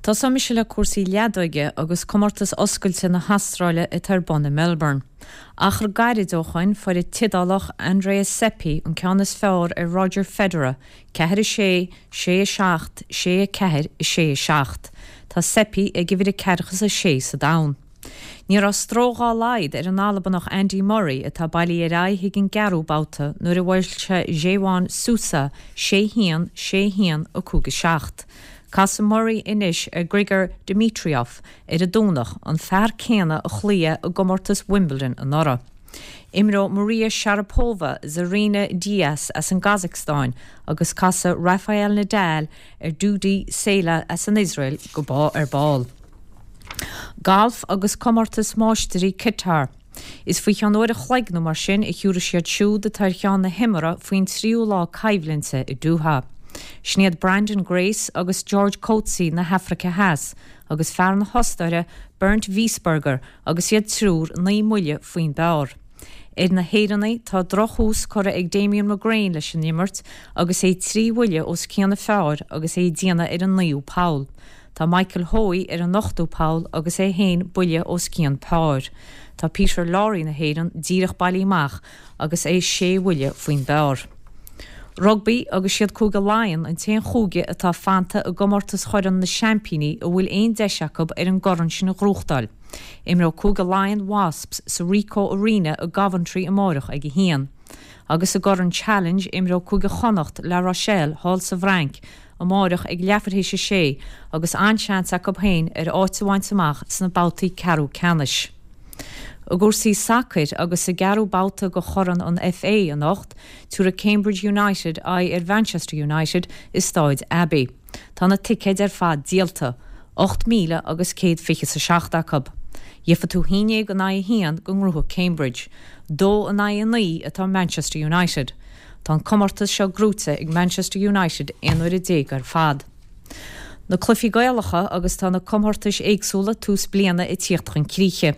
Tosóidh mise le cúrsaí leadóige agus Comórtas Oscailte na hAstráile atá ar bun i Melbourne. Achar gairid ó shoin fuair an tIodálach Andreas Seppi an ceann is fearr ar Roger Federer, 4, 6, 6, 7, 6, 4, 6, 7. Tá Seppi ag uimhir a ceathracha is a sé sa domhan. Ní raibh stró dhá laghad ar an Albanach Andy Murray atá bailithe ar aghaidh chuig an gceathrú babhta nuair a bhuail sé Jaewon Susa 6 1, 6 1, 5 7. Casfaidh Murray anois ar Grigor Dimitrov ar an Domhnach, an fear céanna a chloígh é i gcomórtas Wimbledon anuraidh. Imreoidh Maria Sharapova Zarina Diyas as an gCasacstáin agus casfaidh Rafael Nadal ar Dudi Sela as an Iosrael go ar ball. Galf agus Comórtas Máistirí Qatar. Is faoi cheann uair a chloig nó mar sin a thiúrfaidh siad siúd atá ar cheann na himeartha faoin tríú lá coimhlinte i Doha. Sin iad Branden Grace agus George Coetzee na hAfraice Theas agus fear na hOstaire Bernd Wiesberger agus iad triúr 9 mbuille faoin bpar. Ar na hÉireannaigh, tá drochthús curtha ag Damian McGrane leis an imirt agus é 3 bhuille os cionn an phar agus é ag déanamh ar an naoú poll. Tá Michael Hoey ar an ochtú poll agus é féin buille os cionn páir. Tá Peter Lawrie na hÉireann díreach bailithe amach agus é sé bhuille faoin bpar. Rugbaí agus siad Cúige Laighean an t-aon chúige atá fanta i gcomórtas Chorn na Seaimpíní a bhfuil aon deis acu ar an gcorn sin a ghnóthachtáil. Imreoidh Cúige Laighean Wasps sa Ricoh Arena i gCoventry amáireach ag 1. Agus i gCorn Challenge imreoidh Cúige Chonnacht La Rochelle thall sa bhFrainc amáireach ag leathuair théis a sé agus an-seans acu féin ar áit a bhaint amach sna babhtaí ceathrú ceannais. I gcúrsaí sacair agus sa gceathrú babhta de Chorn an FA anocht, tabharfaidh Cambridge United aghaidh ar Mhanchester United i Stáid Abbey. Tá na ticéid ar fad díolta, 8,000 agus 127 acu. Gheofaidh tú haon déag in aghaidh a haon go ngnóthóidh Cambridge. Dó in aghaidh a naoi atá Manchester United. Tá an comórtas seo gnóite ag Manchester United 11 uaire ar fad. Na cluichí Gaelacha agus tá na comórtais éagsúla tús bliana ag tíocht chun críche.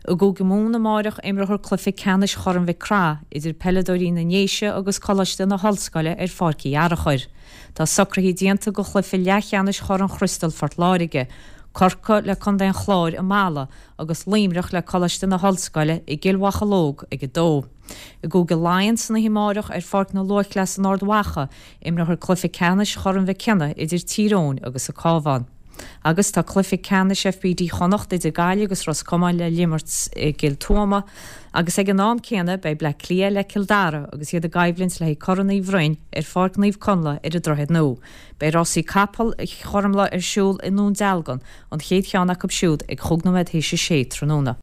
I gCúige Mumhan amáireach imreofar cluiche ceannais Chorn Mhic Craith idir peileadóirí na nDéise agus Coláiste na hOllscoile ar Pháirc Uí Fhearachair. Tá socruithe déanta do chluiche leathcheannais Chorn Chriostal Phort Láirge, Corcaigh le Contae an Chláir i Mala agus Luimneach le Coláiste na hOllscoile i gCill Mhocheallóg ag 2. I gCúige Laighean san oíche amáireach ar Pháirc na Luathchleas in Ard Mhacha, imreofar cluiche ceannais Chorn Mhic Cionnaith idir Tír Eoghain agus an Cabhán. Agus tá cluiche ceannais FBD Chonnacht idir Gaillimh agus Ros Comáin le himirt i gCill Tuama agus ag an am céanna beidh Bleá Cliath le Cill Dara agus iad i gcoimhlint le haghaidh Corn Uí Bhroin ar Pháirc Naomh Conlaith ar an Droichead Nua. Beidh rásaí capall Chormlaith ar siúl i nDún Dealgan, an chéad cheann acu siúd ag chúig nóiméad théis a sé tráthnóna.